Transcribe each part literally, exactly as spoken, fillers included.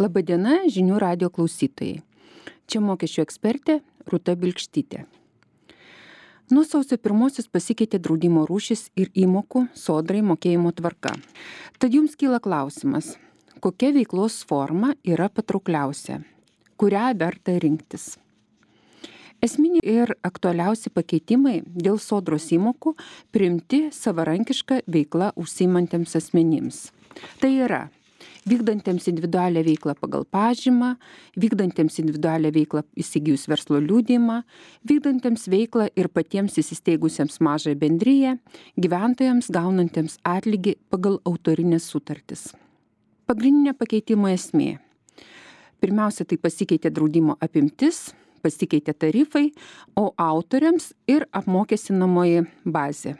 Labadiena, žinių radio klausytojai. Čia mokesčių ekspertė Rūta Bilkštytė. Nuo sausio pirmosios pasikeitė draudimo rūšis ir įmokų sodrai mokėjimo tvarka. Tad jums kyla klausimas, kokia veiklos forma yra patraukliausia, kurią verta rinktis. Esminiai ir aktualiausi pakeitimai dėl sodros įmokų priimti savarankišką veiklą užsiimantiems asmenims. Tai yra vykdantiems individualią veiklą pagal pažymą, vykdantiems individualią veiklą įsigijus verslo liudijimą, vykdantiems veiklą ir patiems įsisteigusiems mažąją bendriją, gyventojams gaunantiems atlygį pagal autorinės sutartis. Pagrindinė pakeitimo esmė. Pirmiausia, tai pasikeitė draudimo apimtis, pasikeitė tarifai, o autoriams ir apmokestinamoji bazė.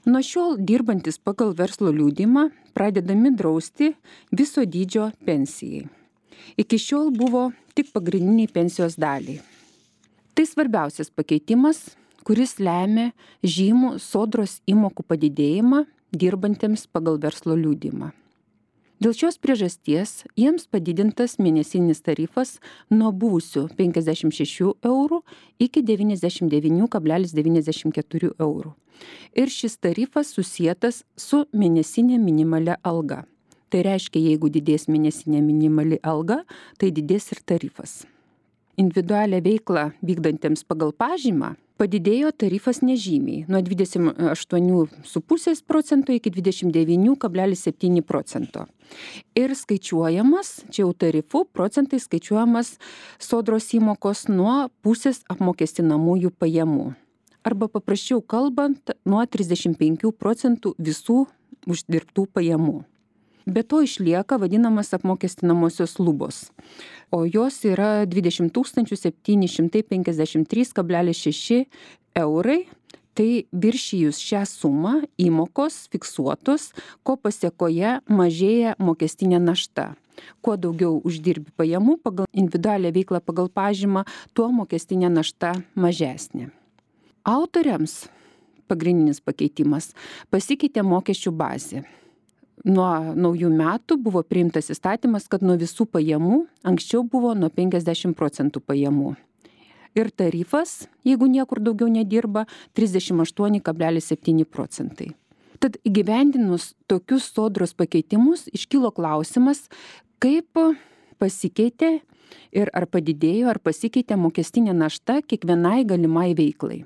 Nuo šiol dirbantis pagal verslo liudijimą pradedami drausti viso dydžio pensijai. Iki šiol buvo tik pagrindiniai pensijos daliai. Tai svarbiausias pakeitimas, kuris lemia žymų sodros įmokų padidėjimą dirbantiems pagal verslo liudijimą. Dėl šios priežasties jiems padidintas mėnesinis tarifas nuo buvusių penkiasdešimt šešių eurų iki devyniasdešimt devyni kablelis devyniasdešimt keturi eurų. Ir šis tarifas susietas su mėnesinė minimalia alga. Tai reiškia, jeigu didės mėnesinė minimali alga, tai didės ir tarifas. Individualią veiklą vykdantiems pagal pažymą padidėjo tarifas nežymiai nuo dvidešimt aštuoni su pusė procento iki dvidešimt devyni kablelis septyni procento. Ir skaičiuojamas, čia jau tarifų procentai skaičiuojamas sodros įmokos nuo pusės apmokestinamųjų pajamų. Arba paprasčiau kalbant, nuo trisdešimt penkių procentų visų uždirbtų pajamų. Be to išlieka vadinamas apmokestinamosios lubos, o jos yra dvidešimt tūkstančių septyni šimtai penkiasdešimt trys kablelis šeši eurai. Tai viršijus šią sumą įmokos fiksuotos, ko pasiekoje mažėja mokestinė našta. Kuo daugiau uždirbi pajamų pagal individualią veiklą pagal pažymą, tuo mokestinė našta mažesnė. Autoriams pagrindinis pakeitimas pasikeitė mokesčių bazė. Nuo naujų metų buvo priimtas įstatymas, kad nuo visų pajamų anksčiau buvo nuo penkiasdešimt procentų pajamų. Ir tarifas, jeigu niekur daugiau nedirba, trisdešimt aštuoni kablelis septyni procentai. Tad įgyvendinus tokius sodros pakeitimus iškilo klausimas, kaip pasikeitė ir ar padidėjo, ar pasikeitė mokestinė našta kiekvienai galimai veiklai.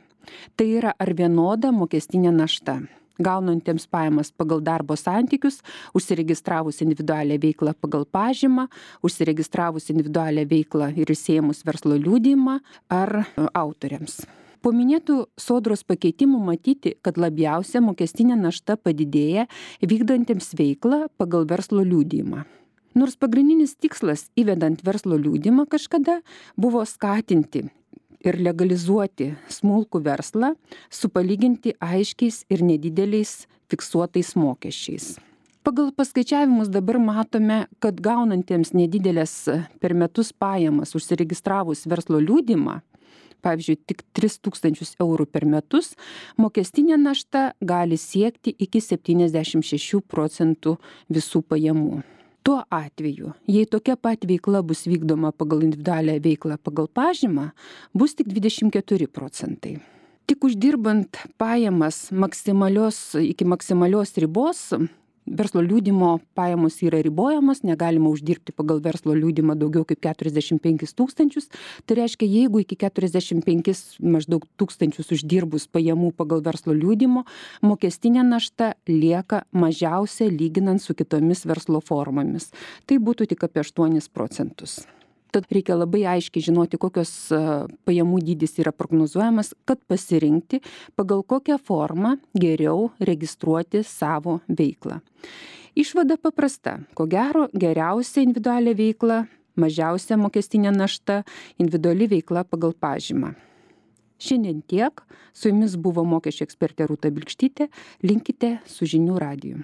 Tai yra ar vienoda mokestinė našta gaunantiems pajamas pagal darbo santykius, užsiregistravus individualią veiklą pagal pažymą, užsiregistravus individualią veiklą ir įsiėmus verslo liudijimą ar autoriams. Po minėtų sodros pakeitimų matyti, kad labiausia mokestinė našta padidėja vykdantiems veiklą pagal verslo liudijimą. Nors pagrindinis tikslas įvedant verslo liudijimą kažkada buvo skatinti ir legalizuoti smulkų verslą su palyginti aiškiais ir nedideliais fiksuotais mokesčiais. Pagal paskaičiavimus dabar matome, kad gaunantiems nedidelės per metus pajamas užsiregistravus verslo liudijimą, pavyzdžiui, tik tris tūkstančius eurų per metus, mokestinė našta gali siekti iki septyniasdešimt šešių procentų visų pajamų. Tuo atveju, jei tokia pat veikla bus vykdoma pagal individualią veiklą pagal pažymą, bus tik dvidešimt keturi procentai. Tik uždirbant pajamas maksimalios, iki maksimalios ribos, verslo liudijimo pajamos yra ribojamos, negalima uždirbti pagal verslo liudijimą daugiau kaip keturiasdešimt penkis tūkstančius. Tai reiškia, jeigu iki keturiasdešimt penkis maždaug tūkstančius uždirbus pajamų pagal verslo liudijimo, mokestinė našta lieka mažiausia lyginant su kitomis verslo formomis. Tai būtų tik apie aštuonis procentus. Tad reikia labai aiškiai žinoti, kokios pajamų dydis yra prognozuojamas, kad pasirinkti, pagal kokią formą geriau registruoti savo veiklą. Išvada paprasta. Ko gero, geriausia individualią veiklą, mažiausia mokestinė našta, individuali veikla pagal pažymą. Šiandien tiek. Su jumis buvo mokesčių ekspertė Rūta Bilkštytė. Linkite su žinių radiju.